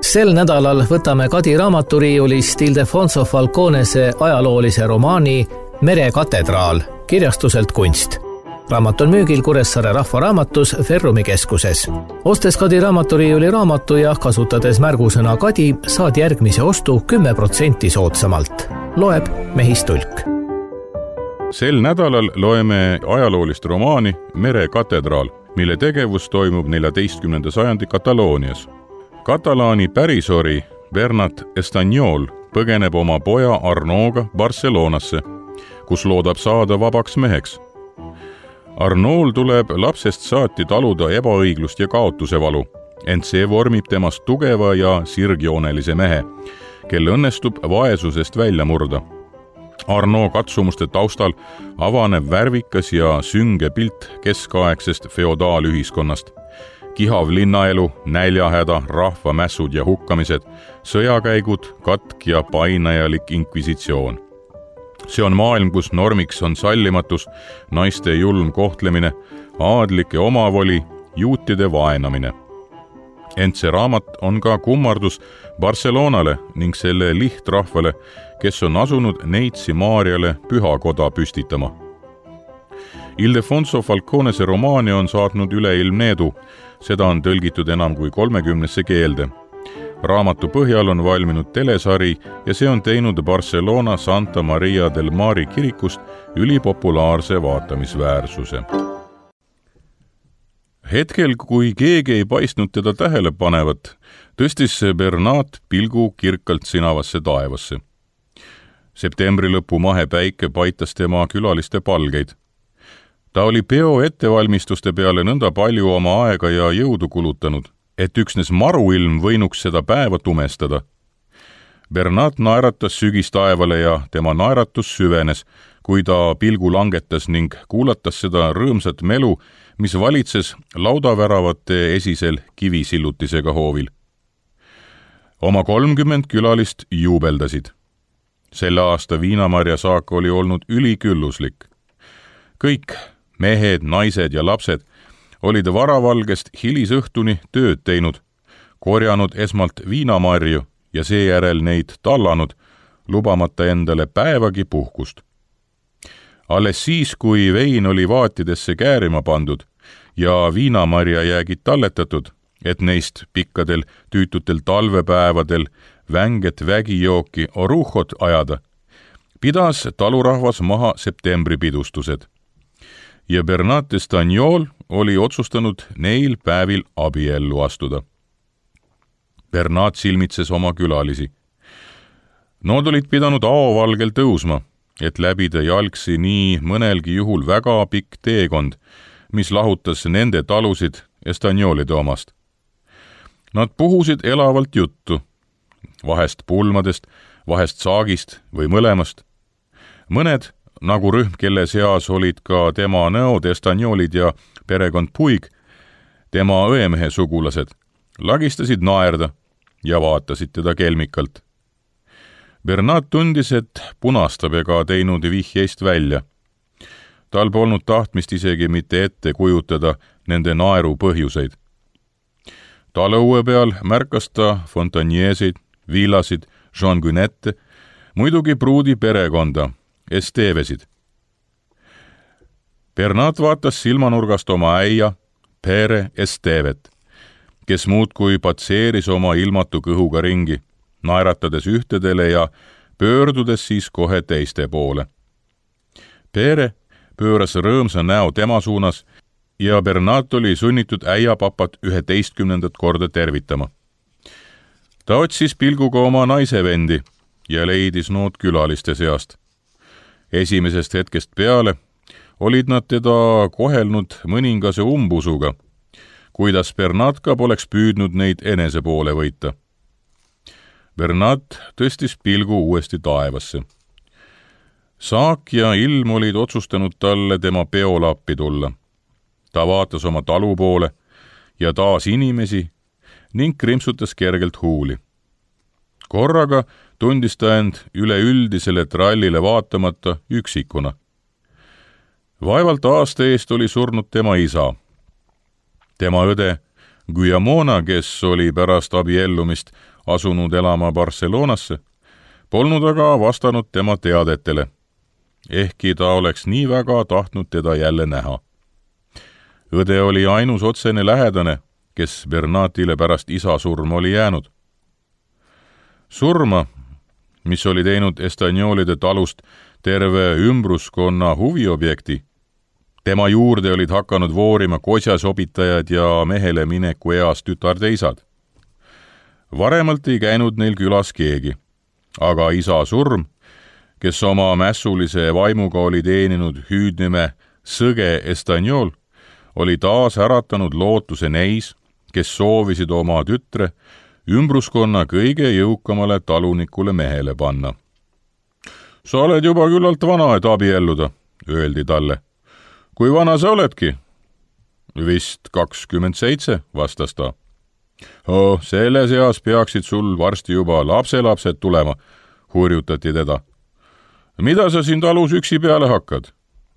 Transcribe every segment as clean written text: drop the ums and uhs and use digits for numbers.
Sel nädalal võtame Kadi raamaturiiulist Ildefonso Falconese ajaloolise romaani Mere katedraal kirjastuselt Kunst. Raamat on müügil Kuressaare Rahvaraamatus Ferrumi keskuses. Ostes Kadi raamaturiiuli raamatu ja kasutades märgusõna Kadi, saad järgmise ostu 10% soodsamalt. Loeb Mehis Tulk. Sel nädalal loeme ajaloolist romaani Mere katedraal, mille tegevus toimub 14. sajandi Kataloonias. Katalaani pärisori Bernat Estanyol põgeneb oma poja Arnoga Barcelonasse, kus loodab saada vabaks meheks. Arnool tuleb lapsest saati taluda ebaõiglust ja kaotuse valu, ent see vormib temast tugeva ja sirgjoonelise mehe, kel õnnestub vaesusest välja murda. Arno katsumuste taustal avaneb värvikas ja sünge pilt keskaegsest feodaalühiskonnast. Kihav linnaelu, näljahäda, rahvamässud ja hukkamised, sõjakäigud, katk ja painajalik inkvisitsioon. See on maailm, kus normiks on sallimatus, naiste julm kohtlemine, aadlike omavoli, juutide vaenamine. Ent see raamat on ka kummardus Barcelonale ning selle lihtrahvale, kes on asunud Neitsi Maarjale pühakoda püstitama. Ildefonso Falconese romaani on saatnud üleilmne edu, seda on tõlgitud enam kui 30 keelde. Raamatu põhjal on valminud telesari ja see on teinud Barcelona Santa Maria del Mari kirikust ülipopulaarse vaatamisväärsuse. Hetkel, kui keegi ei paistnud teda tähele panevat, tõstis Bernat pilgu kirkalt sinavasse taevasse. Septembri lõpu mahepäike paitas tema külaliste palgeid. Ta oli peo ettevalmistuste peale nõnda palju oma aega ja jõudu kulutanud, et üksnes maruilm võinuks seda päeva tumestada. Bernat naeratas sügistaevale ja tema naeratus süvenes, kui ta pilgu langetas ning kuulatas seda rõõmsat melu, mis valitses laudaväravate esisel kivisillutisega hoovil. Oma 30 külalist juubeldasid. Selle aasta viinamarja saak oli olnud ülikülluslik. Kõik, mehed, naised ja lapsed, olid varavalgest hilisõhtuni tööd teinud, korjanud esmalt viinamarju ja seejärel neid tallanud, lubamata endale päevagi puhkust. Alles siis, kui vein oli vaatidesse käärima pandud ja viinamarja jäägid talletatud, et neist pikkadel tüütutel talvepäevadel vänget vägijooki oruhhot ajada, pidas talurahvas maha septembripidustused. Ja Bernat Estanyol oli otsustanud neil päevil abiellu astuda. Bernat silmitses oma külalisi. Nood olid pidanud aovalgel tõusma, et läbida jalgsi nii mõnelgi juhul väga pikk teekond, mis lahutas nende talusid Estanyolide omast. Nad puhusid elavalt juttu, vahest pulmadest, vahest saagist või mõlemast. Mõned, nagu rühm, kelle seas olid ka tema näod Estanyolid ja perekond Puig, tema õemehe sugulased, lagistasid naerda ja vaatasid teda kelmikalt. Bernat tundis, et punastab ega teinud vihjeist välja. Tal polnud tahtmist isegi mitte ette kujutada nende naeru põhjuseid. Talõue peal märkas ta Fontanieseid, Villasid, Jean Gunette, muidugi pruudi perekonda, Estevesid. Bernat vaatas silmanurgast oma äia, Pere Estevet, kes muudkui patseeris oma ilmatu kõhuga ringi, naeratades ühtedele ja pöördudes siis kohe teiste poole. Pere pööras rõõmsa näo tema suunas ja Bernat oli sunnitud äiapapat 11. korda tervitama. Ta otsis pilguga oma naisevendi ja leidis nood külaliste seast. Esimesest hetkest peale olid nad teda kohelnud mõningase umbusuga, kuidas Bernat ka poleks püüdnud neid enese poole võita. Bernat tõstis pilgu uuesti taevasse. Saak ja ilm olid otsustanud talle tema peole appi tulla. Ta vaatas oma talu poole ja taas inimesi ning krimpsutas kergelt huuli. Korraga tundis ta end üleüldisele trallile vaatamata üksikuna. Vaevalt aasta eest oli surnud tema isa. Tema õde Guillamona, kes oli pärast abiellumist asunud elama Barcelonasse, polnud aga vastanud tema teadetele, ehkki ta oleks nii väga tahtnud teda jälle näha. Õde oli ainus otsene lähedane, kes Bernatile pärast isa surma oli jäänud. Surma, mis oli teinud Estagnolide talust terve ümbruskonna huviobjekti, tema juurde olid hakanud voorima kosjasobitajad ja mehele mineku eas tütardeisad. Varemalt ei käinud neil külas keegi, aga isa surm, kes oma mässulise vaimuga oli teeninud hüüdnime Sõge Estagnol, oli taas äratanud lootuse neis, kes soovisid oma tütre ümbruskonna kõige jõukamale talunikule mehele panna. Sa oled juba küllalt vana, et abielluda, öeldi talle. Kui vana sa oledki? Vist 27, vastas ta. Selles eas peaksid sul varsti juba lapselapsed tulema, hurjutati teda. Mida sa siin talus üksi peale hakkad?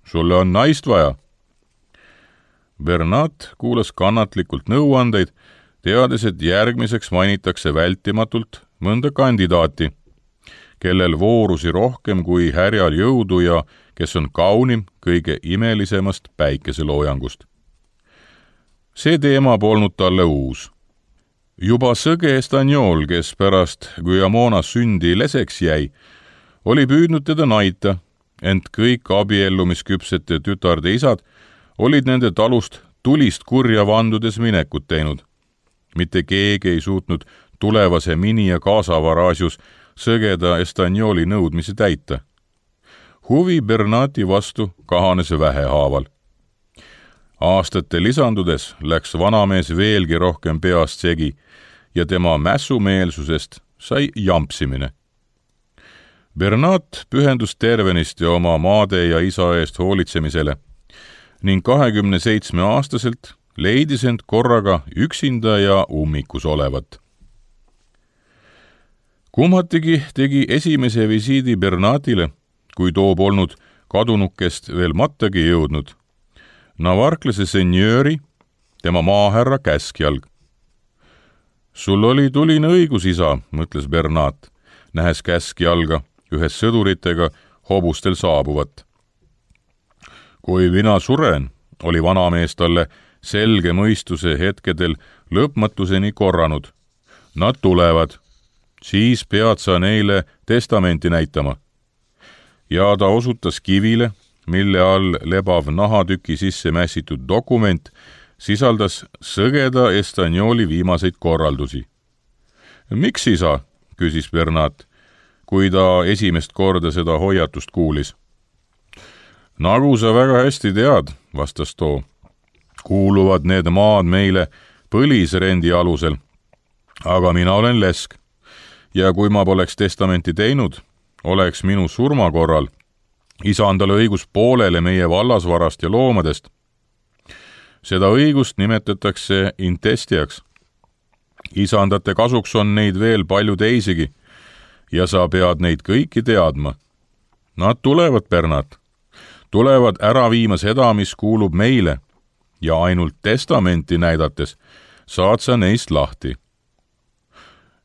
Sulle on naist vaja. Bernat kuulas kannatlikult nõuandeid, teades, et järgmiseks mainitakse vältimatult mõnda kandidaati, kellel voorusi rohkem kui härjal jõudu ja kes on kaunim kõige imelisemast päikeseloojangust. See teema polnud talle uus. Juba Sõge Estagnol, kes pärast Guillamona sündi leseks jäi, oli püüdnud teda naita, ent kõik abiellumisküpsete tütarde isad olid nende talust tulist kurja vandudes minekut teinud. Mitte keegi ei suutnud tulevase mini- ja kaasavara asjus Sõgeda Estagnoli nõudmisi täita. Huvi Bernati vastu kahanes vähehaaval. Aastate lisandudes läks vanamees veelgi rohkem peast segi ja tema mässumeelsusest sai jampsimine. Bernat pühendus tervenisti oma maade ja isa eest hoolitsemisele ning 27-aastaselt leidis end korraga üksinda ja ummikus olevat. Kummatigi tegi esimese visiidi Bernatile, kui too polnud kadunukest veel mattagi jõudnud, Navarklase senjööri, tema maahärra käskjalg. Sul oli tuline õigus, isa, mõtles Bernat, nähes käskjalga ühes sõduritega hobustel saabuvat. Kui mina suren, oli vanamees talle selge mõistuse hetkedel lõpmatuseni korranud. Nad tulevad, siis pead sa neile testamenti näitama. Ja ta osutas kivile, mille all lebav nahatüki sisse mässitud dokument sisaldas Sõgeda Estagnoli viimaseid korraldusi. Miks isa, küsis Bernat, kui ta esimest korda seda hoiatust kuulis. Nagu sa väga hästi tead, vastas too, kuuluvad need maad meile põlisrendi alusel, aga mina olen lesk ja kui ma poleks testamenti teinud, oleks minu surma korral isandale õigus poolele meie vallasvarast ja loomadest. Seda õigust nimetatakse intestiaks. Isandate kasuks on neid veel palju teisigi ja sa pead neid kõiki teadma. Nad tulevad, Bernat, tulevad ära viima seda, mis kuulub meile ja ainult testamenti näidates saad sa neist lahti.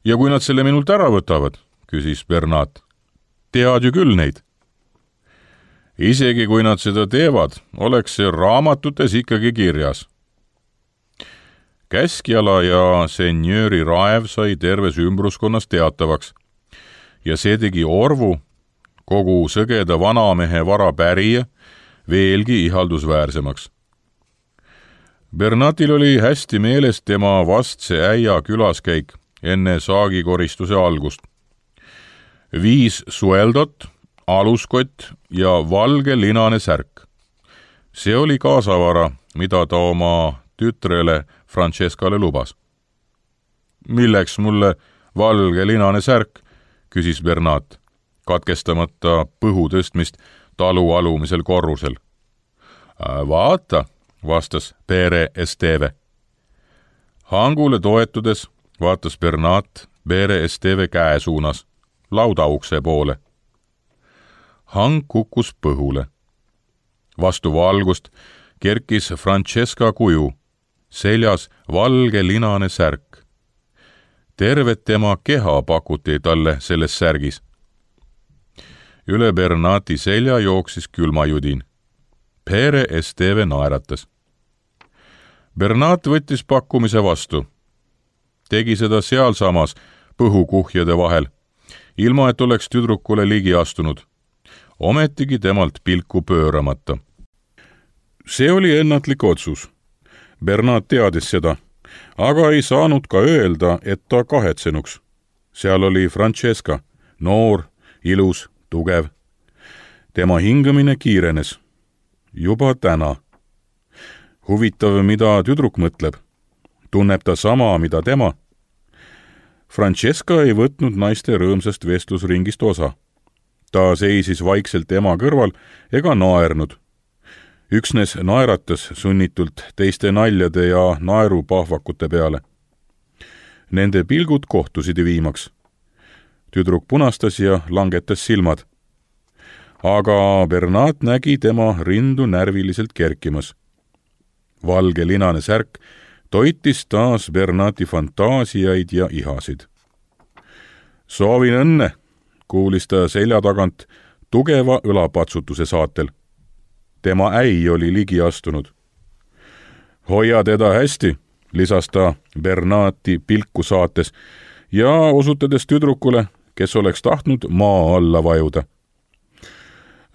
Ja kui nad selle minult ära võtavad, küsis Bernat, tead ju küll neid. Isegi kui nad seda teevad, oleks see raamatutes ikkagi kirjas. Käskjala ja senjööri raev sai terves ümbruskonnas teatavaks ja see tegi Orvu, kogu Sõgeda vanamehe vara pärija, veelgi ihaldusväärsemaks. Bernatil oli hästi meeles tema vastse äia külaskäik enne saagikoristuse algust. 5 sueldot, aluskott ja valge linane särk. See oli kaasavara, mida ta oma tütrele Francescale lubas. Milleks mulle valge linane särk, küsis Bernat, katkestamata põhu tõstmist talu alumisel korrusel. Vaata, vastas Pere Esteve. Hangule toetudes vaatas Bernat Pere Esteve käe suunas, laudaukse poole. Hang kukkus põhule. Vastu valgust kerkis Francesca kuju, seljas valge linane särk. tervet tema keha pakuti talle selles särgis. Üle Bernati selja jooksis külmajudin. Pere Esteve naeratas. Bernat võttis pakkumise vastu. Tegi seda sealsamas põhukuhjade vahel, ilma et oleks tüdrukule ligi astunud. Ometigi temalt pilku pööramata. See oli ennatlik otsus. Bernat teadis seda, aga ei saanud ka öelda, et ta kahetsenuks. Seal oli Francesca, noor, ilus, tugev. Tema hingamine kiirenes. Juba täna. Huvitav, mida tüdruk mõtleb. Tunneb ta sama, mida tema. Francesca ei võtnud naiste rõõmsast vestlusringist osa. Ta seisis vaikselt ema kõrval ega naernud. Üksnes naeratas sunnitult teiste naljade ja naerupahvakute peale. Nende pilgud kohtusid viimaks. Tüdruk punastas ja langetas silmad. Aga Bernat nägi tema rindu närviliselt kerkimas. Valge linane särk toitis taas Bernati fantaasiaid ja ihasid. Soovin õnne, kuulis ta selja tagant tugeva õlapatsutuse saatel. Tema äi oli ligi astunud. Hoia teda hästi, lisas ta Bernati pilku saates ja osutades tüdrukule, kes oleks tahtnud maa alla vajuda.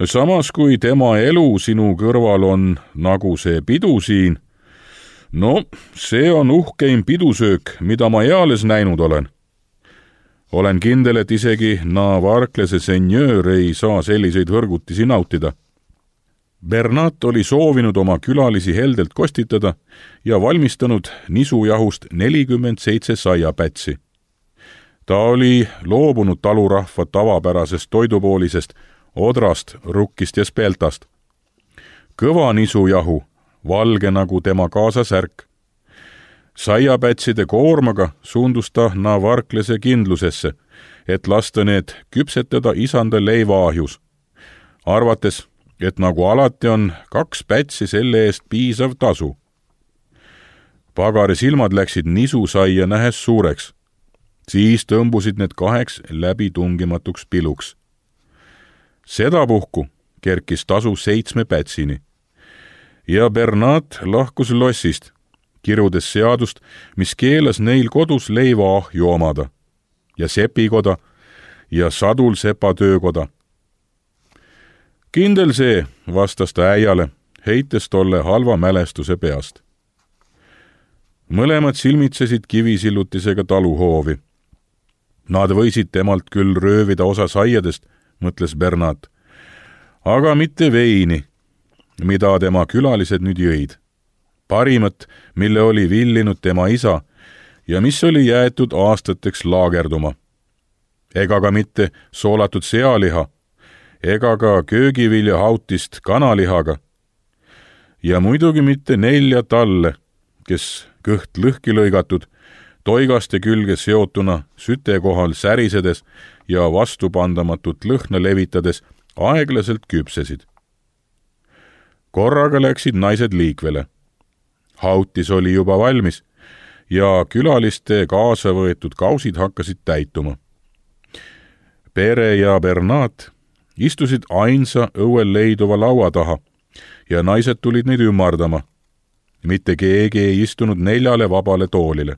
Samas kui tema elu sinu kõrval on nagu see pidu siin, no see on uhkeim pidusöök, mida ma eales näinud olen. Olen kindel, et isegi Navarklese senjöör ei saa selliseid hõrgutisi nautida. Bernat oli soovinud oma külalisi heldelt kostitada ja valmistanud nisujahust 47 saiapätsi. Ta oli loobunud talurahva tavapärasest toidupoolisest odrast, rukkist ja speltast. Kõva nisujahu, valge nagu tema kaasasärk. Saiapätside koormaga suundus ta Navarklese kindlusesse, et lasta need küpsetada isanda leivaahjus, arvates, et nagu alati on 2 pätsi selle eest piisav tasu. Pagari silmad läksid nisusaia nähes suureks. Siis tõmbusid need 2 läbitungimatuks piluks. Sedapuhku kerkis tasu 7 pätsini. Ja Bernat lahkus lossist, kirudes seadust, mis keelas neil kodus leivaahju omada ja sepikoda ja sadul sepatöökoda. Kindel see, vastas ta äiale, heites tolle halva mälestuse peast. Mõlemad silmitsesid kivisillutisega taluhoovi. Nad võisid temalt küll röövida osa saiadest, mõtles Bernat, aga mitte veini, mida tema külalised nüüd jõid. Parimat, mille oli villinud tema isa ja mis oli jäetud aastateks laagerduma. Ega ka mitte soolatud sealiha, ega ka köögiviljahautist kanalihaga. Ja muidugi mitte 4 talle, kes kõht lõhki lõigatud, toigaste külge seotuna süte kohal särisedes ja vastupandamatut lõhna levitades aeglaselt küpsesid. Korraga läksid naised liikvele. Hautis oli juba valmis ja külaliste kaasa võetud kausid hakkasid täituma. Pere ja Bernat istusid ainsa õuel leiduva laua taha ja naised tulid neid ümardama. Mitte keegi ei istunud 4 vabale toolile.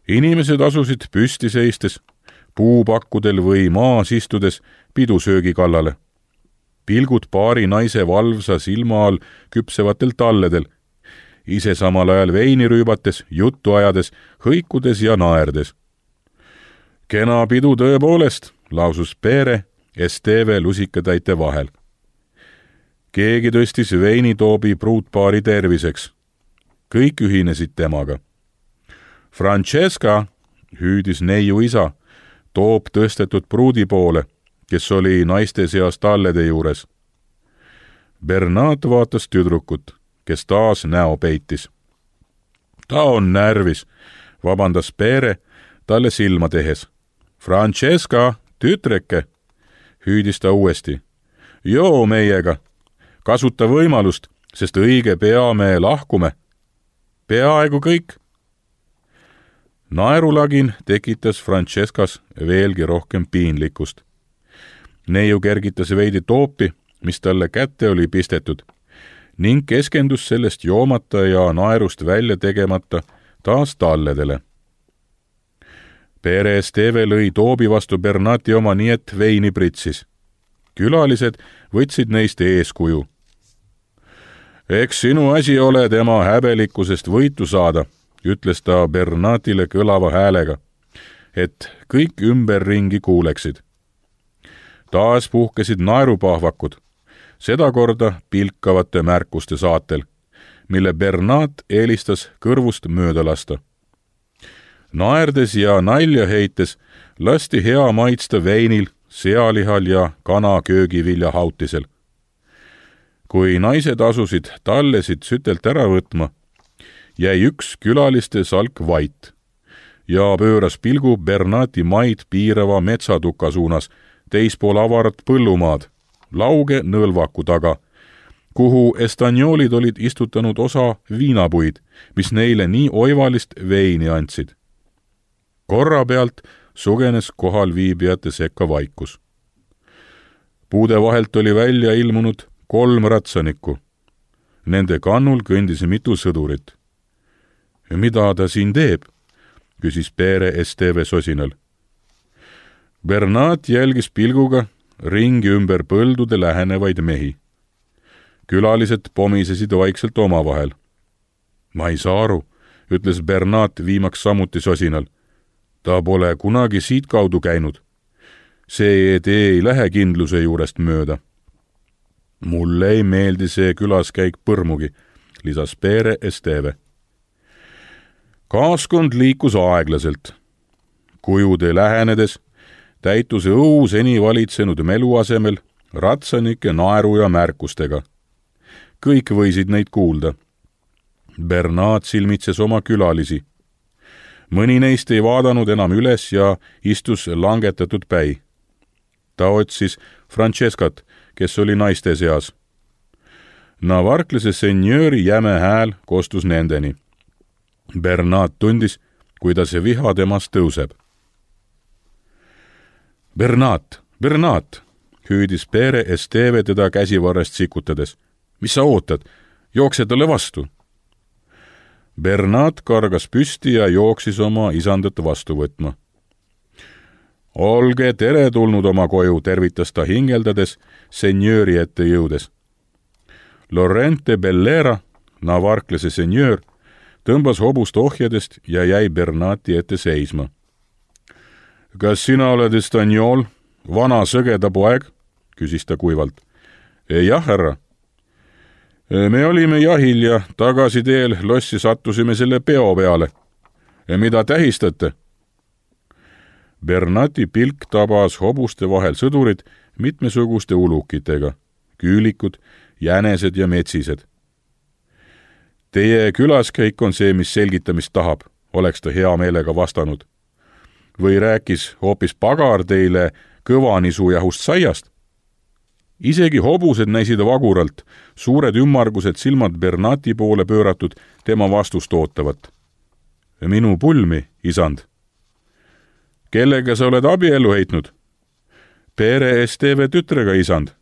Inimesed asusid püsti seistes, puupakkudel või maas istudes pidusöögi kallale. Pilgud paari naise valvsa silma all küpsevatel talledel, ise samal ajal veini rüübates, juttu ajades, hõikudes ja naerdes. Kena pidu tõepoolest, lausus Pere Esteve lusikatäite vahel. Keegi tõstis veinitoobi pruutpaari terviseks. Kõik ühinesid temaga. Francesca, hüüdis neiu isa, toob tõstetud pruudi poole, kes oli naiste seas tallede juures. Bernat vaatas tüdrukut, kes taas näo peitis. Ta on närvis, vabandas Pere talle silma tehes. Francesca, tütreke, hüüdis ta uuesti. Joo meiega, kasuta võimalust, sest õige pea me lahkume. Peaaegu kõik. Naerulagin tekitas Francescas veelgi rohkem piinlikkust. Neiu kergitas veidi toopi, mis talle kätte oli pistetud, ning keskendus sellest joomata ja naerust välja tegemata taas talledele. Pere Esteve lõi toobi vastu Bernati oma nii, et veini pritsis. Külalised võtsid neist eeskuju. Eks sinu asi ole tema häbelikkusest võitu saada, ütles ta Bernatile kõlava häälega, et kõik ümberringi kuuleksid. Taas puhkesid naerupahvakud, sedakorda pilkavate märkuste saatel, mille Bernat eelistas kõrvust mööda lasta. Naerdes ja nalja heites lasti hea maitsta veinil, sealihal ja kana köögiviljahautisel. Kui naised asusid tallesid sütelt ära võtma, jäi üks külaliste salk vait ja pööras pilgu Bernati maid piirava metsatuka suunas, teispool avarat põllumaad, lauge nõlvaku taga, kuhu estanjoolid olid istutanud osa viinapuid, mis neile nii oivalist veini andsid. Korra pealt sugenes kohal viibijate sekka vaikus. Puude vahelt oli välja ilmunud 3 ratsanikku. Nende kannul kõndis mitu sõdurit. Mida ta siin teeb? Küsis Pere Esteve sosinal. Bernat jälgis pilguga ringi ümber põldude lähenevaid mehi. Külalised pomisesid vaikselt omavahel. Ma ei saa aru, ütles Bernat viimaks samuti sosinal. Ta pole kunagi siit kaudu käinud. See tee ei lähe kindluse juurest mööda. Mulle ei meeldi see külaskäik põrmugi, lisas Pere Esteve. Kaaskond liikus aeglaselt. Kujude lähenedes täitus õu seni valitsenud melu asemel ratsanike naeru ja märkustega. Kõik võisid neid kuulda. Bernat silmitses oma külalisi. Mõni neist ei vaadanud enam üles ja istus langetatud päi. Ta otsis Francescat, kes oli naiste seas. Navarklase senjööri jäme hääl kostus nendeni. Bernat tundis, kuidas viha temast tõuseb. Bernat, hüüdis Pere Esteve teda käsivarrest sikutades. Mis sa ootad? Jookse talle vastu. Bernat kargas püsti ja jooksis oma isandat vastu võtma. Olge teretulnud oma koju, tervitas ta hingeldades, senjööri ette jõudes. Lorente Bellera, navarklase senjöör, tõmbas hobust ohjadest ja jäi Bernati ette seisma. Kas sina oled estanjool, vana sõgeda poeg? Küsis ta kuivalt. Jah, härra. Me olime jahil ja tagasi teel lossi sattusime selle peo peale. Mida tähistate? Bernati pilk tabas hobuste vahel sõdurid mitmesuguste ulukitega, küülikud, jänesed ja metsised. Teie külaskäik on see, mis selgitamist tahab, oleks ta hea meelega vastanud. Või rääkis hoopis pagar teile kõvanisujahust saiast? Isegi hobused näisid vaguralt, suured ümmargused silmad Bernati poole pööratud tema vastust ootavat. Minu pulmi, isand. Kellega sa oled abiellu heitnud? Pere Esteve tütrega, isand.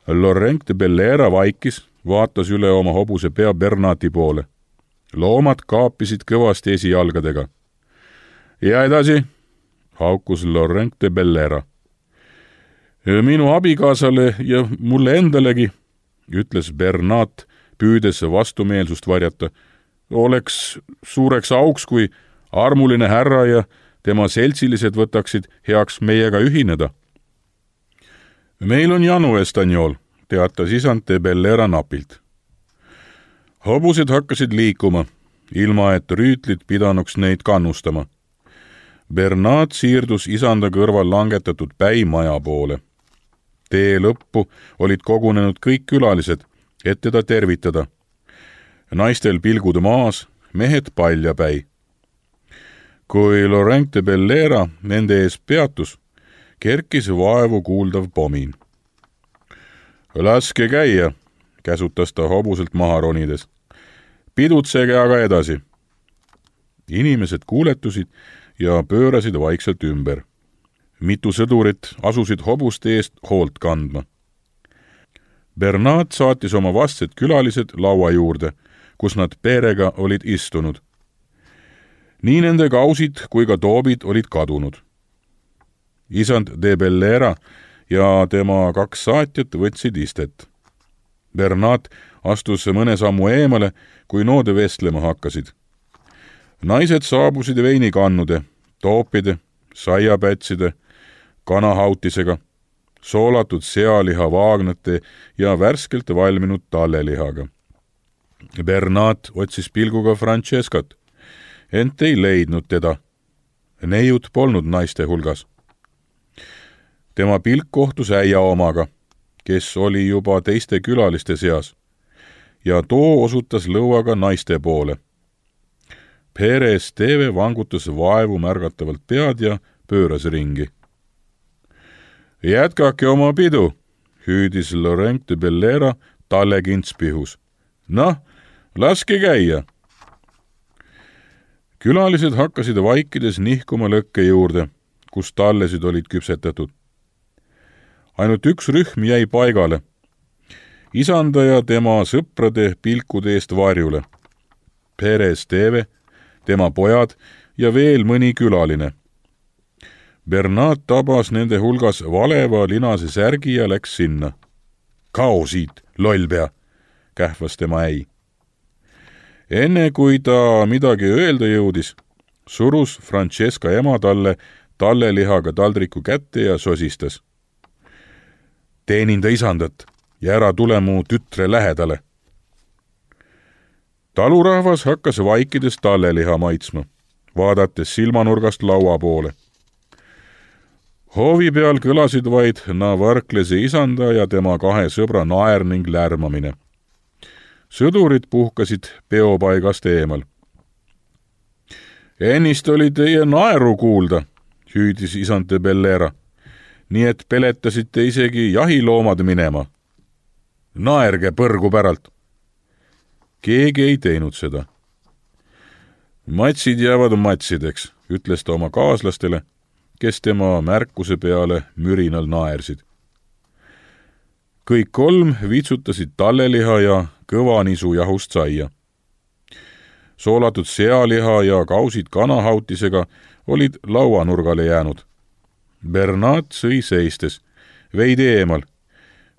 Lorente Bellera vaikis, vaatas üle oma hobuse pea Bernati poole. Loomad kaapisid kõvasti esijalgadega. Ja edasi, haukus Lorente Bellera. Minu abikaasale ja mulle endalegi, ütles Bernat, püüdes vastumeelsust varjata, oleks suureks auks, kui armuline härra ja tema seltsilised võtaksid heaks meiega ühineda. Meil on janu, estanjool, teatas isante Bellera napilt. Hobused hakkasid liikuma, ilma et rüütlid pidanuks neid kannustama. Bernat siirdus isanda kõrval langetatud päi maja poole. Tee lõppu olid kogunenud kõik külalised, et teda tervitada. Naistel pilgud maas, mehed paljapäi. Kui Lorente Bellera nende ees peatus, kerkis vaevu kuuldav pomin. Laske käia, käsutas ta hobuselt maha ronides. Pidutsege aga edasi. inimesed kuuletusid ja pöörasid vaikselt ümber. Mitu sõdurit asusid hobuste eest hoolt kandma. Bernat saatis oma vastsed külalised laua juurde, kus nad perega olid istunud. Nii nende kausid kui ka toobid olid kadunud. Isand de Bellera ja tema 2 saatjat võtsid istet. Bernat astus mõne sammu eemale, kui nood vestlema hakkasid. Naised saabusid veinikannude, toopide, saiapätside, kanahautisega, soolatud sealiha vaagnate ja värskelt valminud tallelihaga. Bernat otsis pilguga Francescat, ent ei leidnud teda. Neiud polnud naiste hulgas. Tema pilk kohtus äia omaga, kes oli juba teiste külaliste seas, ja too osutas lõuaga naiste poole. Perez Teve vangutas vaevu märgatavalt pead ja pööras ringi. Jätkake oma pidu, hüüdis Laurent de Bellera talle kintspihus. Noh, laske käia. Külalised hakkasid vaikides nihkuma lõkke juurde, kus tallesid olid küpsetatud. Ainult üks rühm jäi paigale. Isanda ja tema sõprade pilkude eest varjule. Perez Teve, tema pojad ja veel mõni külaline. Bernat tabas nende hulgas valeva linase särgi ja läks sinna. Kao siit, lollpea, kähvas tema äi. Enne kui ta midagi öelda jõudis, surus Francesca ema talle tallelihaga taldriku kätte ja sosistas. Teeninda isandat ja ära tule mu tütre lähedale. Talurahvas hakkas vaikides talleliha maitsma, vaadates silmanurgast laua poole. Hoovi peal kõlasid vaid Navarklese isanda ja tema 2 sõbra naer ning lärmamine. Sõdurid puhkasid peopaigast eemal. Ennist oli teie naeru kuulda, hüüdis isand de Bellera, nii et peletasite isegi jahiloomad minema. Naerge põrgu päralt. Keegi ei teinud seda. Matsid jäävad matsideks, ütles ta oma kaaslastele, kes tema märkuse peale mürinal naersid. Kõik 3 vitsutasid talleliha ja kõva nisu jahust saia. Soolatud sealiha ja kausid kanahautisega olid lauanurgale jäänud. Bernat sõi seistes, veidi eemal,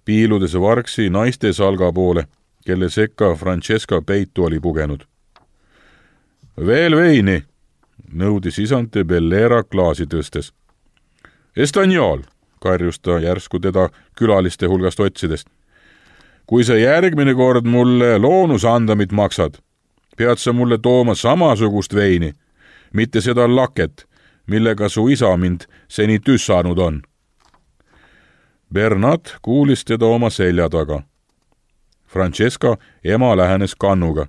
piiludes vargsi naiste salga poole, kelle sekka Francesca peitu oli pugenud. Veel veini, nõudis isand de Bellera klaasi tõstes. Estaniol, karjus ta järsku teda külaliste hulgast otsidest. Kui sa järgmine kord mulle loonusandamit maksad, pead sa mulle tooma samasugust veini, mitte seda laket, millega su isa mind seni tüssanud on. Bernat kuulis teda oma selja taga. Francesca ema lähenes kannuga.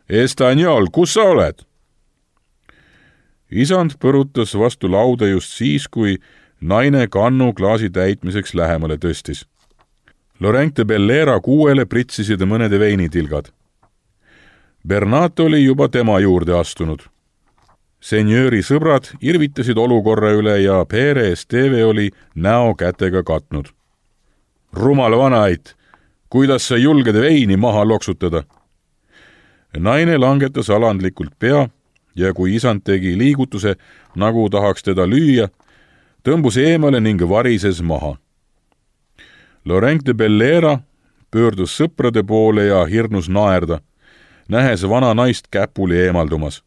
Estaniol, kus sa oled? Isand põrutas vastu lauda just siis, kui naine kannu klaasi täitmiseks lähemale tõstis. Laurent de Bellera kuuele pritsisid mõnede veinitilgad. Bernat oli juba tema juurde astunud. Senjööri sõbrad irvitasid olukorra üle ja Perez Teve oli näo kätega katnud. Rumal vanait, kuidas sa julged veini maha loksutada? Naine langetas alandlikult pea ja kui isand tegi liigutuse, nagu tahaks teda lüüa, tõmbus eemale ning varises maha. Laurent de Bellera pöördus sõprade poole ja hirnus naerda, nähes vana naist käpuli eemaldumas.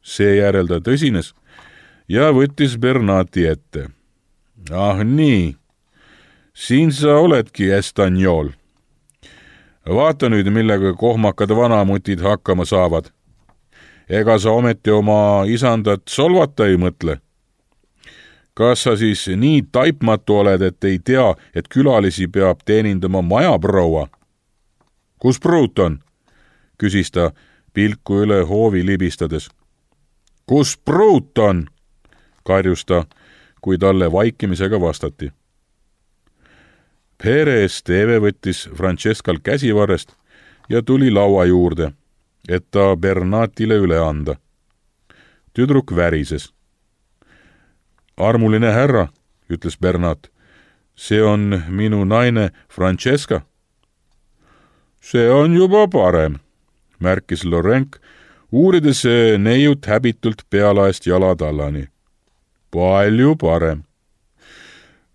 Seejärel ta tõsines ja võttis Bernati ette. Ah nii, siin sa oledki, Estaniol. Vaata nüüd, millega kohmakad vanamutid hakkama saavad. Ega sa ometi oma isandat solvata ei mõtle? Kas sa siis nii taipmatu oled, et ei tea, et külalisi peab teenindama majaproua? Kus pruut on? Küsis ta pilku üle hoovi libistades. Kus pruut on? Karjus ta, kui talle vaikimisega vastati. Perez Teve võttis Francescal käsivarrest ja tuli laua juurde, et ta Bernatile üle anda. tüdruk värises. Armuline härra, ütles Bernat, see on minu naine Francesca. See on juba parem, märkis Lorenk, uurides neiut häbitult pealaest jalatallani. Palju parem.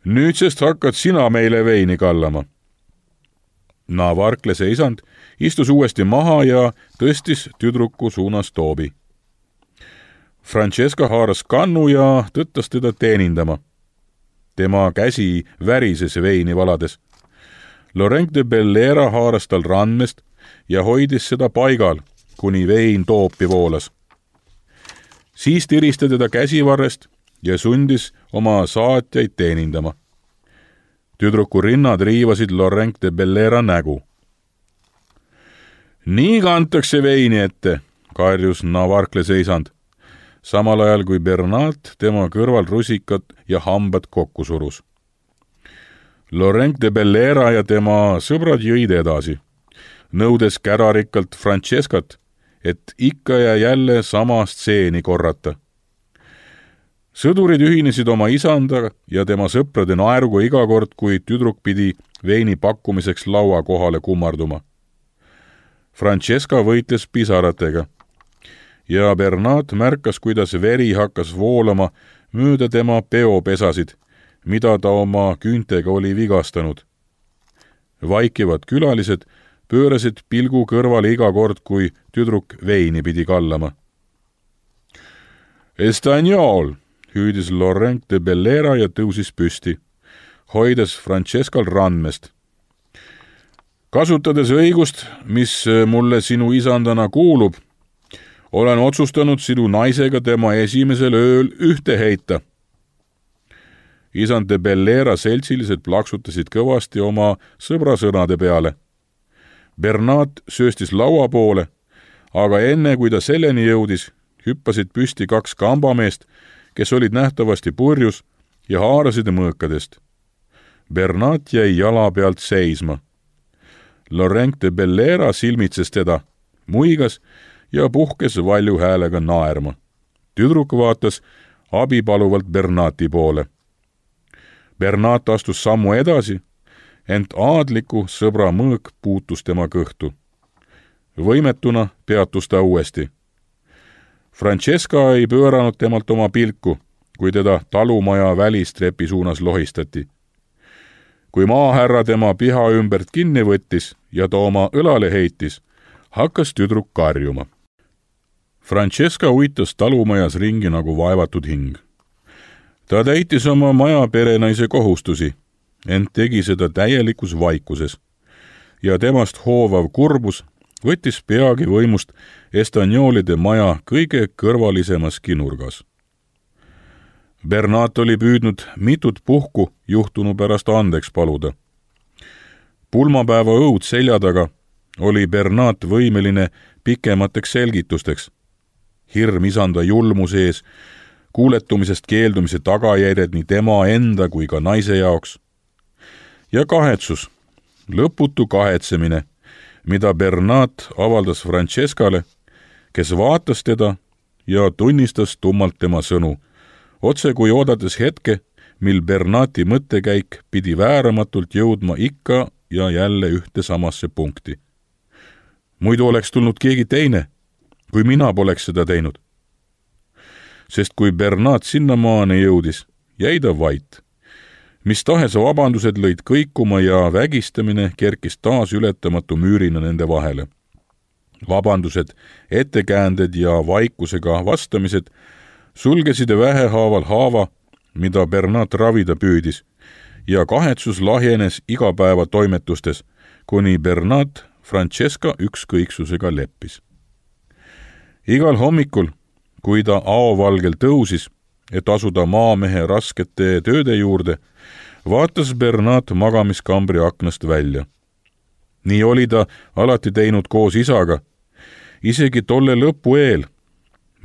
Nüüdsest hakkad sina meile veini kallama. Navarklase isand istus uuesti maha ja tõstis tüdruku suunas toobi. Francesca haaras kannu ja tõttas teda teenindama. Tema käsi värises veini valades. Laurent de Bellera haaras tal randmest ja hoidis seda paigal, kuni vein toopi voolas. Siis tiristas teda käsivarrest ja sundis oma saatjaid teenindama. Tüdruku rinnad riivasid Laurent de Bellera nägu. Nii kantakse veini ette, karjus Navarklase isand, samal ajal kui Bernat tema kõrval rusikad ja hambad kokku surus. Laurent de Bellera ja tema sõbrad jõid edasi, nõudes kärarikkalt Francescat, et ikka ja jälle sama stseeni korrata. Sõdurid ühinesid oma isanda ja tema sõprade naeruga iga kord, kui tüdruk pidi veini pakkumiseks laua kohale kummarduma. Francesca võitles pisaratega ja Bernat märkas, kuidas veri hakkas voolama mööda tema peopesasid, mida ta oma küüntega oli vigastanud. Vaikivad külalised pöörasid pilgu kõrvale iga kord, kui tüdruk veini pidi kallama. Estagnol, hüüdis Laurent de Bellera ja tõusis püsti, hoides Francescal randmest. Kasutades õigust, mis mulle sinu isandana kuulub, olen otsustanud sinu naisega tema esimesel ööl ühte heita. Isand de Bellera seltsilised plaksutasid kõvasti oma sõbrasõnade peale. Bernat sööstis laua poole, aga enne kui ta selleni jõudis, hüppasid püsti 2 kambameest, kes olid nähtavasti purjus ja haarasid mõõkadest. Bernat jäi jala pealt seisma. Laurent de Bellera silmitses teda, muigas ja puhkes valju häälega naerma. Tüdruk vaatas abipaluvalt Bernati poole. Bernat astus sammu edasi, ent aadliku sõbra mõõk puutus tema kõhtu. Võimetuna peatus ta uuesti. Francesca ei pööranud temalt oma pilku, kui teda talumaja välistrepi suunas lohistati. Kui maahärra tema piha ümbert kinni võttis ja ta oma õlale heitis, hakkas tüdruk karjuma. Francesca uitas talumajas ringi nagu vaevatud hing. Ta täitis oma maja perenaise kohustusi, ent tegi seda täielikus vaikuses ja temast hoovav kurbus võttis peagi võimust Estagnolide maja kõige kõrvalisemaski nurgas. Bernat oli püüdnud mitut puhku juhtunu pärast andeks paluda. Pulmapäeva õud selja taga oli Bernat võimeline pikemateks selgitusteks. Hirm isanda julmuse ees, kuuletumisest keeldumise tagajärjed nii tema enda kui ka naise jaoks. Ja kahetsus, lõputu kahetsemine, mida Bernat avaldas Francescale, kes vaatas teda ja tunnistas tummalt tema sõnu, otse kui oodates hetke, mil Bernati mõttekäik pidi vääramatult jõudma ikka ja jälle ühte samasse punkti. Muidu oleks tulnud keegi teine, kui mina poleks seda teinud. Sest kui Bernat sinnamaani jõudis, jäi ta vait. Mis tahes vabandused lõid kõikuma ja vägistamine kerkis taas ületamatu müürina nende vahele. Vabandused, ettekäänded ja vaikusega vastamised sulgesid vähehaaval haava, mida Bernat ravida püüdis, ja kahetsus lahjenes igapäeva toimetustes, kuni Bernat Francesca ükskõiksusega leppis. Igal hommikul, kui ta aovalgel tõusis, et asuda maamehe raskete tööde juurde, vaatas Bernat magamiskambri aknast välja. Nii oli ta alati teinud koos isaga, isegi tolle lõpu eel,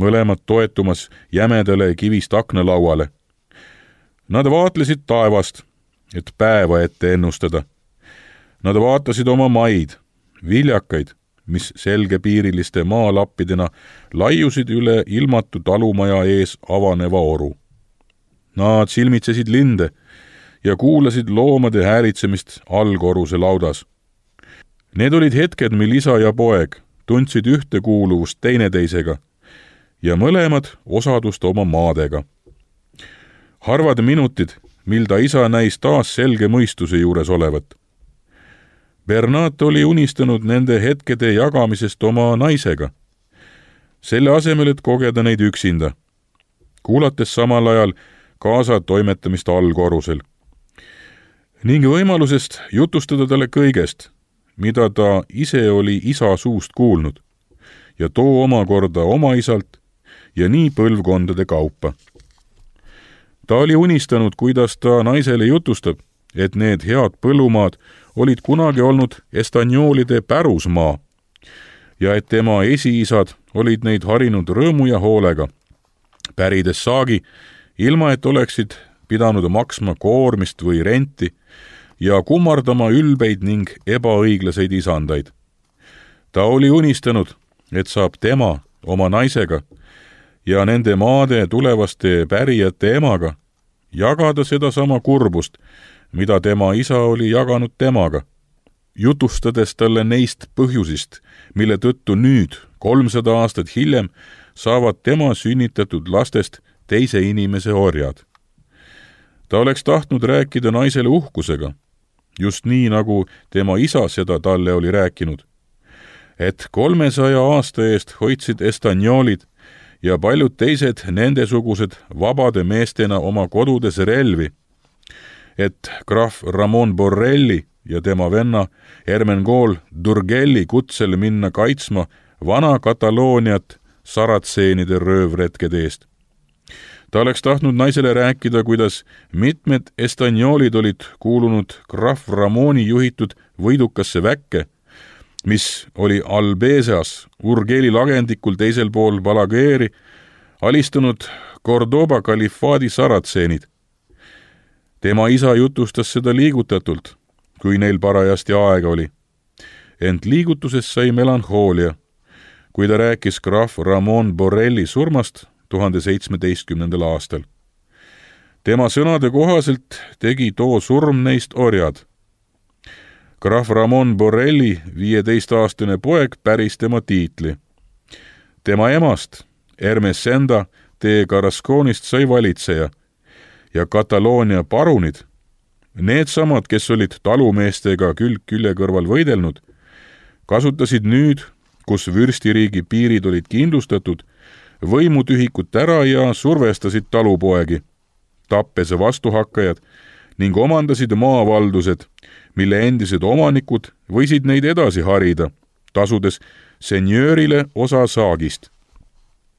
mõlemad toetumas jämedale kivist aknalauale. Nad vaatlesid taevast, et päeva ette ennustada. Nad vaatasid oma maid, viljakaid, mis selgepiiriliste maalappidena laiusid üle ilmatu talumaja ees avaneva oru. Nad silmitsesid linde ja kuulasid loomade häälitsemist allkorruse laudas. Need olid hetked, mil isa ja poeg tundsid ühtekuuluvust teineteisega ja mõlemad osadust oma maadega. Harvad minutid, mil ta isa näis taas selge mõistuse juures olevat. Bernat oli unistanud nende hetkede jagamisest oma naisega, selle asemel, et kogeda neid üksinda, kuulates samal ajal kaasa toimetamist allkorrusel ning võimalusest jutustada talle kõigest, mida ta ise oli isa suust kuulnud ja too omakorda oma isalt ja nii põlvkondade kaupa. Ta oli unistanud, kuidas ta naisele jutustab, et need head põllumaad olid kunagi olnud Estagnoolide pärusmaa ja et tema esiisad olid neid harinud rõõmu ja hoolega, pärides saagi, ilma et oleksid pidanud maksma koormist või renti ja kummardama ülbeid ning ebaõiglaseid isandaid. Ta oli unistanud, et saab tema oma naisega ja nende maade tulevaste pärijate emaga jagada sedasama kurbust, mida tema isa oli jaganud temaga, jutustades talle neist põhjusist, mille tõttu nüüd, 300 aastat hiljem, saavad tema sünnitatud lastest teise inimese orjad. Ta oleks tahtnud rääkida naisele uhkusega, just nii, nagu tema isa seda talle oli rääkinud, et 300 aasta eest hoidsid Estagnoolid ja paljud teised nendesugused vabade meestena oma kodudes relvi, et krahv Ramon Borrelli ja tema venna Ermengol Durgelli kutsel minna kaitsma vana Katalooniat saratseenide röövretkede eest. Ta oleks tahtnud naisele rääkida, kuidas mitmed Estagnoolid olid kuulunud krahv Ramoni juhitud võidukasse väkke, mis oli Albezas, Urgeli lagendikul teisel pool Balagueri, alistunud Cordoba kalifaadi saratseenid. Tema isa jutustas seda liigutatult, kui neil parajasti aega oli. Ent liigutusest sai melanhoolia, kui ta rääkis krahv Ramon Borrelli surmast 1017. aastal. Tema sõnade kohaselt tegi too surm neist orjad. Krahv Ramon Borrelli 15-aastane poeg päris tema tiitli. Tema emast, Ermesenda de Carrasconist sai valitseja ja Kataloonia parunid, needsamad, kes olid talumeestega külg külje kõrval võidelnud, kasutasid nüüd, kus vürstiriigi piirid olid kindlustatud, võimutühikut ära ja survestasid talupoegi, tappes vastuhakkajad ning omandasid maavaldused, mille endised omanikud võisid neid edasi harida, tasudes senjöörile osa saagist.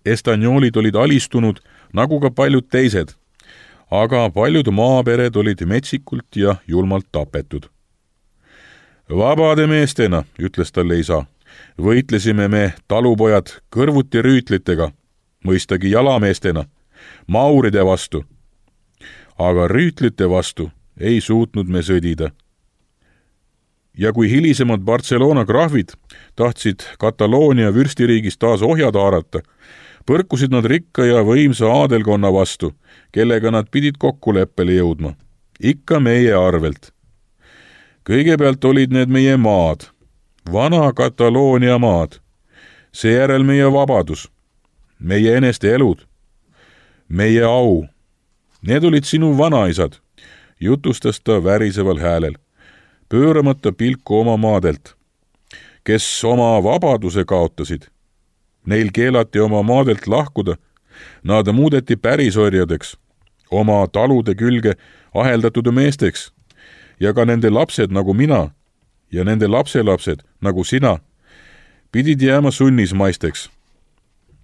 Estagnoolid olid alistunud nagu ka paljud teised, aga paljud maapered olid metsikult ja julmalt tapetud. Vabade meestena, ütles talle isa, võitlesime me talupojad kõrvuti rüütlitega, mõistagi jalameestena, mauride vastu. Aga rüütlite vastu ei suutnud me sõdida. Ja kui hilisemad Barcelona krahvid tahtsid Kataloonia vürstiriigis taas ohjad haarata, põrkusid nad rikka ja võimsa aadelkonna vastu, kellega nad pidid kokkuleppele jõudma. Ikka meie arvelt. Kõigepealt olid need meie maad, vana Kataloonia maad, seejärel meie vabadus, meie eneste elud, meie au. Need olid sinu vanaisad, jutustas ta väriseval häälel, pööramata pilku oma maadelt, kes oma vabaduse kaotasid. Neil keelati oma maadelt lahkuda, nad muudeti pärisorjadeks, oma talude külge aheldatud meesteks ja ka nende lapsed nagu mina ja nende lapselapsed nagu sina pidid jääma sunnismaisteks.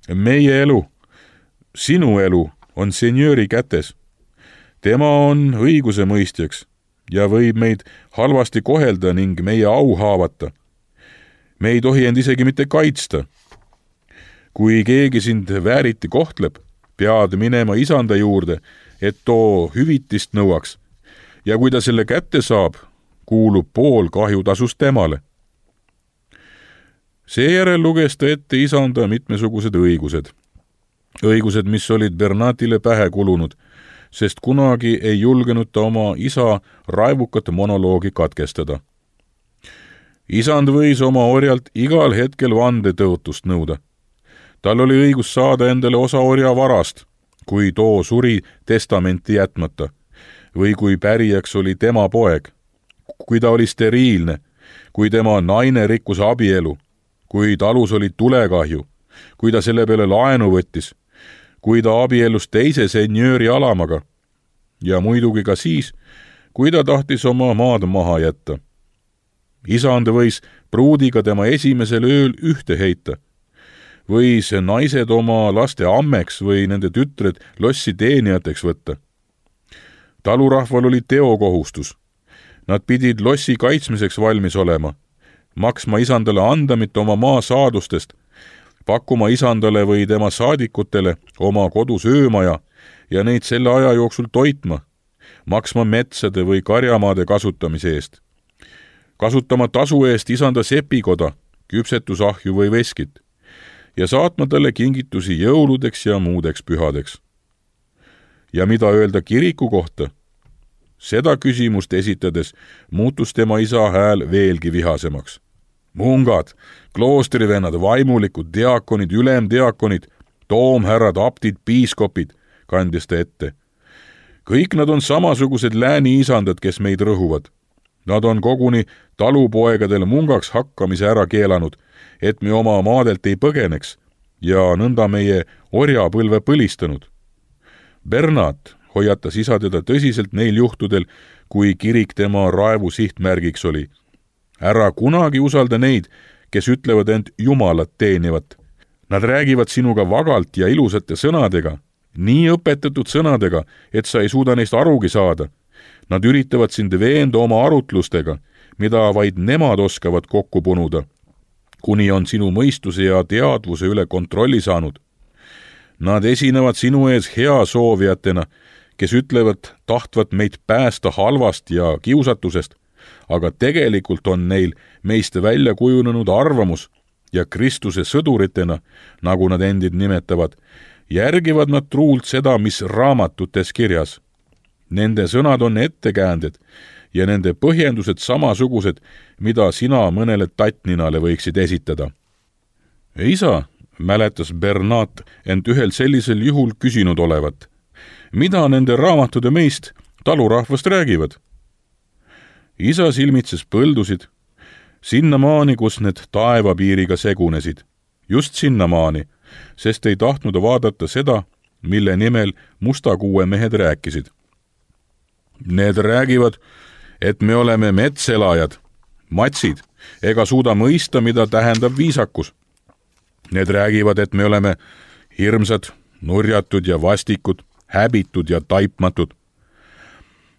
Meie elu, sinu elu on senjööri kätes. Tema on õiguse mõistjaks ja võib meid halvasti kohelda ning meie au haavata. Me ei tohi end isegi mitte kaitsta. Kui keegi sind vääriti kohtleb, pead minema isanda juurde, et too hüvitist nõuaks. Ja kui ta selle kätte saab, kuulub pool kahjutasust temale. Seejärel luges ta ette isanda mitmesugused õigused. Õigused, mis olid Bernatile pähe kulunud, sest kunagi ei julgenud ta oma isa raevukat monoloogi katkestada. Isand võis oma orjalt igal hetkel vandetõotust nõuda. Tal oli õigus saada endale osa orja varast, kui too suri testamenti jätmata, või kui pärijaks oli tema poeg, kui ta oli steriilne, kui tema naine rikkus abielu, kui talus oli tulekahju, kui ta selle peale laenu võttis, kui ta abiellus teise senjööri alamaga ja muidugi ka siis, kui ta tahtis oma maad maha jätta. Isand võis pruudiga tema esimesel ööl ühte heita, võis naised oma laste ammeks või nende tütred lossi teenijateks võtta. Talurahval oli teokohustus. Nad pidid lossi kaitsmiseks valmis olema, maksma isandale andamit oma maa saadustest, pakkuma isandale või tema saadikutele oma kodus öömaja ja neid selle aja jooksul toitma, maksma metsade või karjamaade kasutamise eest, kasutama tasu eest isanda sepikoda, küpsetusahju või veskit ja saatma talle kingitusi jõuludeks ja muudeks pühadeks. Ja mida öelda kiriku kohta? Seda küsimust esitades muutus tema isa hääl veelgi vihasemaks. Mungad, kloostrivennad, vaimulikud, diakonid, ülemdiakonid, toomhärrad, aptid, piiskopid, kandis ta ette. Kõik nad on samasugused lääni isandad, kes meid rõhuvad. Nad on koguni talupoegadele mungaks hakkamise ära keelanud, et me oma maadelt ei põgeneks ja nõnda meie orjapõlve põlistanud. Bernat hoiatas isa teda tõsiselt neil juhtudel, kui kirik tema raevu sihtmärgiks oli. Ära kunagi usalda neid, kes ütlevad end Jumalat teenivat. Nad räägivad sinuga vagalt ja ilusate sõnadega, nii õpetatud sõnadega, et sa ei suuda neist arugi saada. Nad üritavad sind veenda oma arutlustega, mida vaid nemad oskavad kokku punuda, kuni on sinu mõistuse ja teadvuse üle kontrolli saanud. Nad esinevad sinu ees hea soovijatena, kes ütlevad tahtvat meid päästa halvast ja kiusatusest, aga tegelikult on neil meist välja kujunenud arvamus ja Kristuse sõduritena, nagu nad endid nimetavad, järgivad nad truult seda, mis raamatutes kirjas. Nende sõnad on ettekäänded ja nende põhjendused samasugused, mida sina mõnele tattninale võiksid esitada. Isa, mäletas Bernat ent ühel sellisel juhul küsinud olevat. Mida nende raamatude meist talurahvast räägivad? Isa silmitses põldusid, sinnamaani, kus need taevapiiriga segunesid, just sinnamaani, sest ei tahtnud vaadata seda, mille nimel mustakuue mehed rääkisid. Need räägivad, et me oleme metselajad, matsid, ega suuda mõista, mida tähendab viisakus. Need räägivad, et me oleme hirmsad, nurjatud ja vastikud, häbitud ja taipmatud.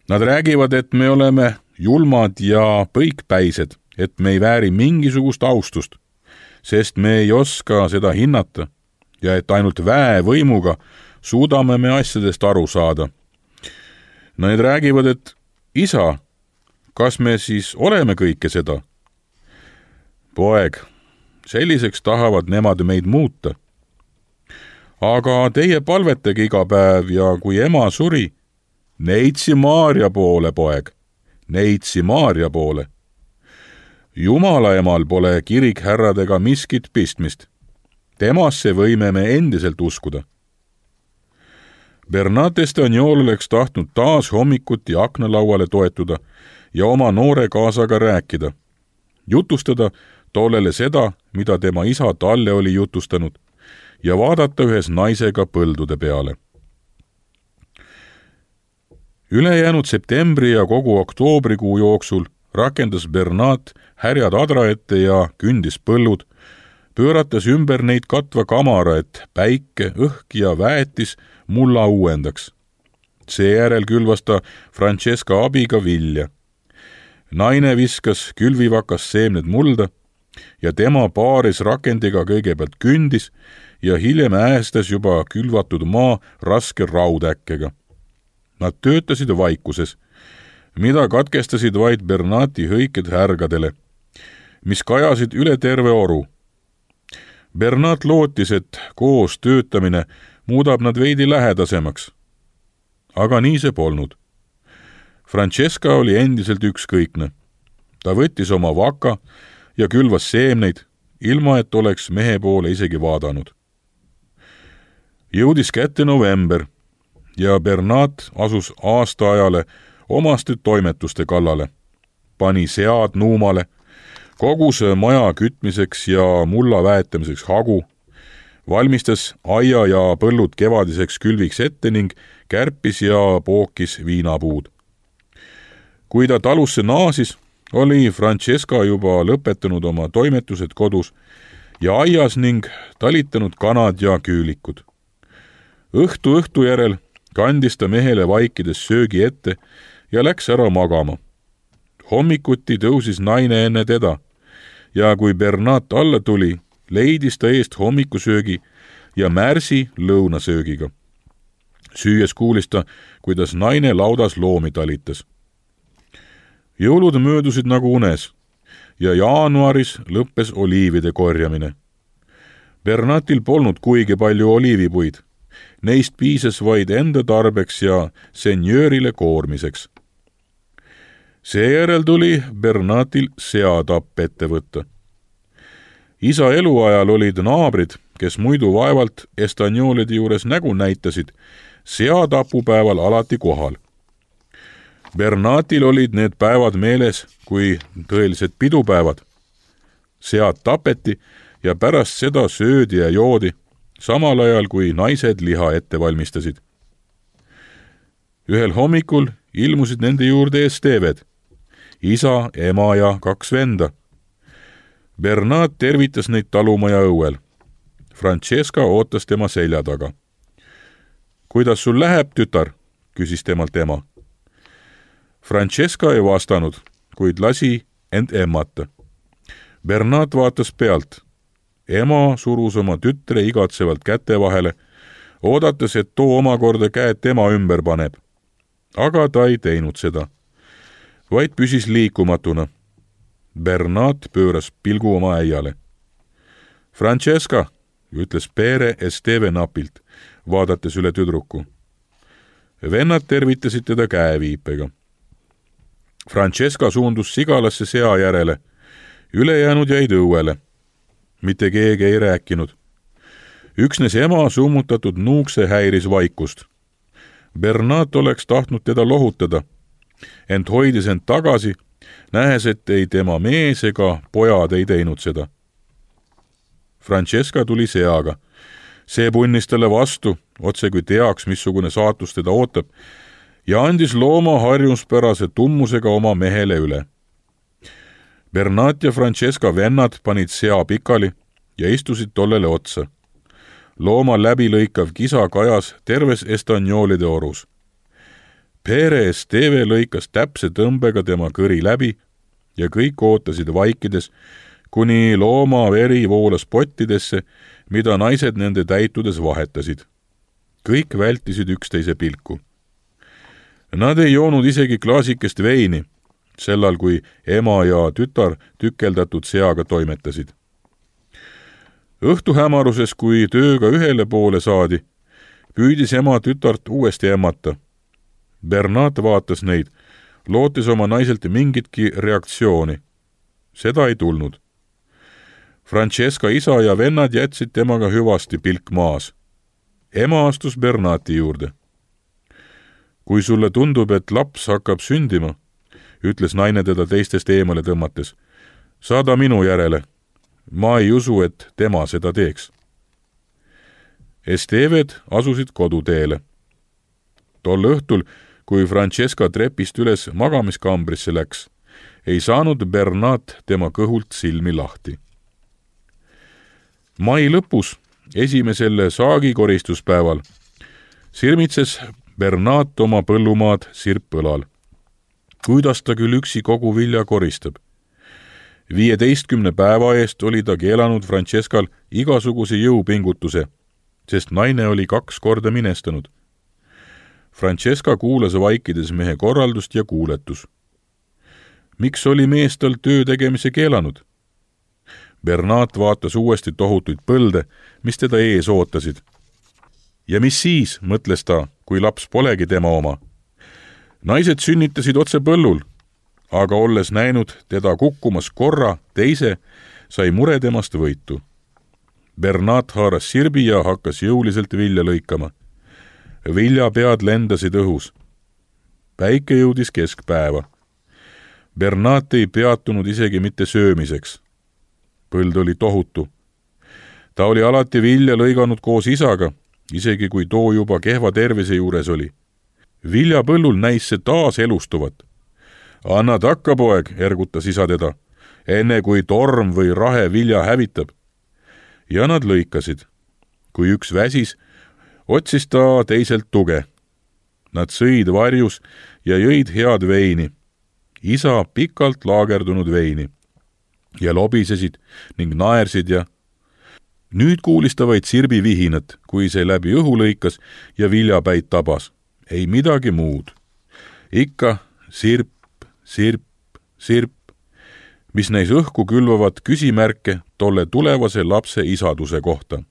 Nad räägivad, et me oleme julmad ja põikpäised, et me ei vääri mingisugust austust, sest me ei oska seda hinnata ja et ainult väevõimuga suudame me asjadest aru saada. Nad räägivad, et isa, kas me siis oleme kõike seda? Poeg, selliseks tahavad nemad meid muuta. Aga teie palvetage iga päev ja kui ema suri, neitsi Maarja poole, poeg, neitsi Maarja poole. Jumala emal pole kirikhärradega miskit pistmist. Temasse võime me endiselt uskuda. Bernat Estagnol oleks tahtnud taas hommikuti aknalauale toetuda ja oma noore kaasaga rääkida. Jutustada tollele seda, mida tema isa talle oli jutustanud, ja vaadata ühes naisega põldude peale. Ülejäänud septembri ja kogu oktoobrikuu jooksul rakendas Bernat härjad adra ette ja kündis põllud, pöörates ümber neid katva kamara, et päike, õhk ja väetis mulla uuendaks. Seejärel külvas ta Francesca abiga vilja. Naine viskas külvivakas seemned mulda ja tema paaris rakendiga kõigepealt kündis ja hiljem äästas juba külvatud maa raske raudäkkega. Nad töötasid vaikuses, mida katkestasid vaid Bernati hõiked härgadele, mis kajasid üle terve oru Bernat lootis, et koos töötamine muudab nad veidi lähedasemaks. Aga nii see polnud. Francesca oli endiselt ükskõikne. Ta võttis oma vaka ja külvas seemneid, ilma et oleks mehe poole isegi vaadanud. Jõudis kätte november ja Bernat asus aastaajale omaste toimetuste kallale. Pani sead nuumale, kogus maja kütmiseks ja mulla väetamiseks hagu, valmistas aia ja põllud kevadiseks külviks ette ning kärpis ja pookis viinapuud. Kui ta talusse naasis, oli Francesca juba lõpetanud oma toimetused kodus ja aias ning talitanud kanad ja küülikud. Õhtu järel kandis ta mehele vaikides söögi ette ja läks ära magama. Hommikuti tõusis naine enne teda ja kui Bernat alla tuli, leidis ta eest hommikusöögi ja märsi lõunasöögiga. Süües kuulis ta, kuidas naine laudas loomi talitas. Jõulud möödusid nagu unes ja jaanuaris lõppes oliivide korjamine. Bernatil polnud kuigi palju oliivipuid. Neist piisas vaid enda tarbeks ja senjöörile koormiseks. Seejärel tuli Bernatil seatapp ette võtta. Isa eluajal olid naabrid, kes muidu vaevalt estanjoolide juures nägu näitasid, seatapupäeval alati kohal. Bernatil olid need päevad meeles kui tõelised pidupäevad. Sead tapeti ja pärast seda söödi ja joodi, samal ajal kui naised liha ette valmistasid. Ühel hommikul ilmusid nende juurde Esteved, isa, ema ja 2 venda. Bernat tervitas neid talumaja õuel. Francesca ootas tema selja taga. Kuidas sul läheb, tütar? Küsis temalt ema. Francesca ei vastanud, kuid lasi end emmata. Bernat vaatas pealt. Ema surus oma tütre igatsevalt käte vahele, oodates, et too omakorda käed tema ümber paneb. Aga ta ei teinud seda, vaid püsis liikumatuna. Bernat pööras pilgu oma äiale. Francesca, ütles Pere Esteve napilt, vaadates üle tüdruku. Vennad tervitasid teda käeviipega. Francesca suundus sigalasse sea järele, ülejäänud jäid õuele. Mitte keegi ei rääkinud. Üksnes ema summutatud nuukse häiris vaikust. Bernat oleks tahtnud teda lohutada, ent hoidis end tagasi, nähes, et ei tema mees ega pojad ei teinud seda. Francesca tuli seaga. See punnis talle vastu, otse kui teaks, missugune saatus teda ootab, ja andis looma harjumuspärase tummusega oma mehele üle. Bernat ja Francesca vennad panid sea pikali ja istusid tollele otsa. Looma läbilõikav kisa kajas terves estanjoolide orus. Pere Esteve lõikas täpse tõmbega tema kõri läbi ja kõik ootasid vaikides, kuni looma veri voolas pottidesse, mida naised nende täitudes vahetasid. Kõik vältisid üksteise pilku. Nad ei joonud isegi klaasikest veini, sellal kui ema ja tütar tükeldatud seaga toimetasid. Õhtuhämaruses, kui tööga ühele poole saadi, püüdis ema tütart uuesti emmata. Bernat vaatas neid, lootis oma naiselt mingitki reaktsiooni. Seda ei tulnud. Francesca isa ja vennad jätsid temaga hüvasti pilk maas. Ema astus Bernati juurde. Kui sulle tundub, et laps hakkab sündima, ütles naine teda teistest eemale tõmmates, saada minu järele. Ma ei usu, et tema seda teeks. Esteved asusid koduteele. Tol õhtul, kui Francesca trepist üles magamiskambrisse läks, ei saanud Bernat tema kõhult silmi lahti. Mai lõpus, esimesel saagikoristuspäeval, sirmitses Bernat oma põllumaad sirppõlal. Kuidas ta küll üksi kogu vilja koristab? 15 päeva eest oli ta keelanud Francescal igasuguse jõupingutuse, sest naine oli 2 korda minestanud. Francesca kuulas vaikides mehe korraldust ja kuuletus. Miks oli mees tal töö tegemise keelanud? Bernat vaatas uuesti tohutuid põlde, mis teda ees ootasid. Ja mis siis, mõtles ta, kui laps polegi tema oma. Naised sünnitasid otse põllul, aga olles näinud teda kukkumas korra, teise, sai mure temast võitu. Bernat haaras sirbi ja hakkas jõuliselt vilja lõikama. Viljapead lendasid õhus. Päike jõudis keskpäeva. Bernat ei peatunud isegi mitte söömiseks. Põld oli tohutu. Ta oli alati vilja lõiganud koos isaga, isegi kui too juba kehva tervise juures oli. Viljapõllul näis see taas elustuvat. Anna takka, poeg, ergutas isa teda, enne kui torm või rahe vilja hävitab. Ja nad lõikasid. Kui üks väsis, otsis ta teiselt tuge. Nad sõid varjus ja jõid head veini. Isa pikalt laagerdunud veini. Ja lobisesid ning naersid ja... Nüüd kuulis ta vaid sirbi vihinat, kui see läbi õhu lõikas ja viljapäid tabas. Ei midagi muud. Ikka sirp, sirp, sirp, mis näis õhku külvavat küsimärke tolle tulevase lapse isaduse kohta.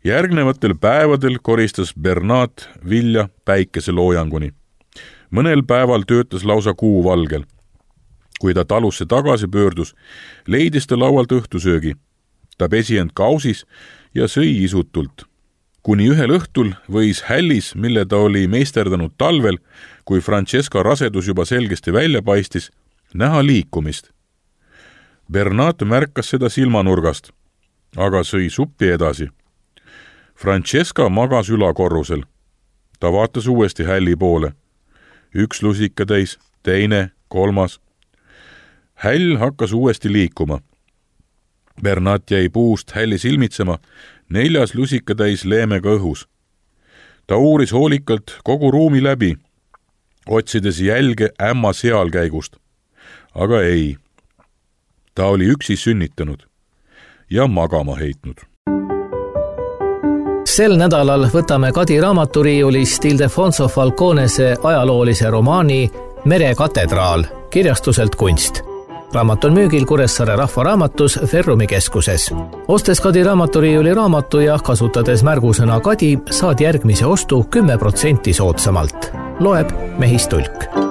Järgnevatel päevadel koristas Bernat vilja päikeseloojanguni. Mõnel päeval töötas lausa kuu valgel. Kui ta talusse tagasi pöördus, leidis ta laualt õhtusöögi. Ta pesi end kausis ja sõi isutult. Kuni ühel õhtul võis hällis, mille ta oli meisterdanud talvel, kui Francesca rasedus juba selgesti välja paistis, näha liikumist. Bernat märkas seda silmanurgast, aga sõi suppi edasi. Francesca magas ülakorrusel. Ta vaatas uuesti hälli poole. Üks lusikatäis, teine, kolmas. Häll hakkas uuesti liikuma. Bernat jäi puust hälli silmitsema, 4. lusikatäis leemega õhus. Ta uuris hoolikalt kogu ruumi läbi, otsides jälge ämma sealkäigust. Aga ei. Ta oli üksi sünnitanud ja magama heitnud. Sel nädalal võtame Kadi raamaturiiulist Ildefonso Falconese ajaloolise romaani Mere katedraal, kirjastuselt Kunst. Raamat on müügil Kuressaare Rahvaraamatus Ferrumi keskuses. Ostes Kadi raamaturiiuli raamatu ja kasutades märgusõna Kadi, saad järgmise ostu 10% soodsamalt. Loeb Mehis Tulk.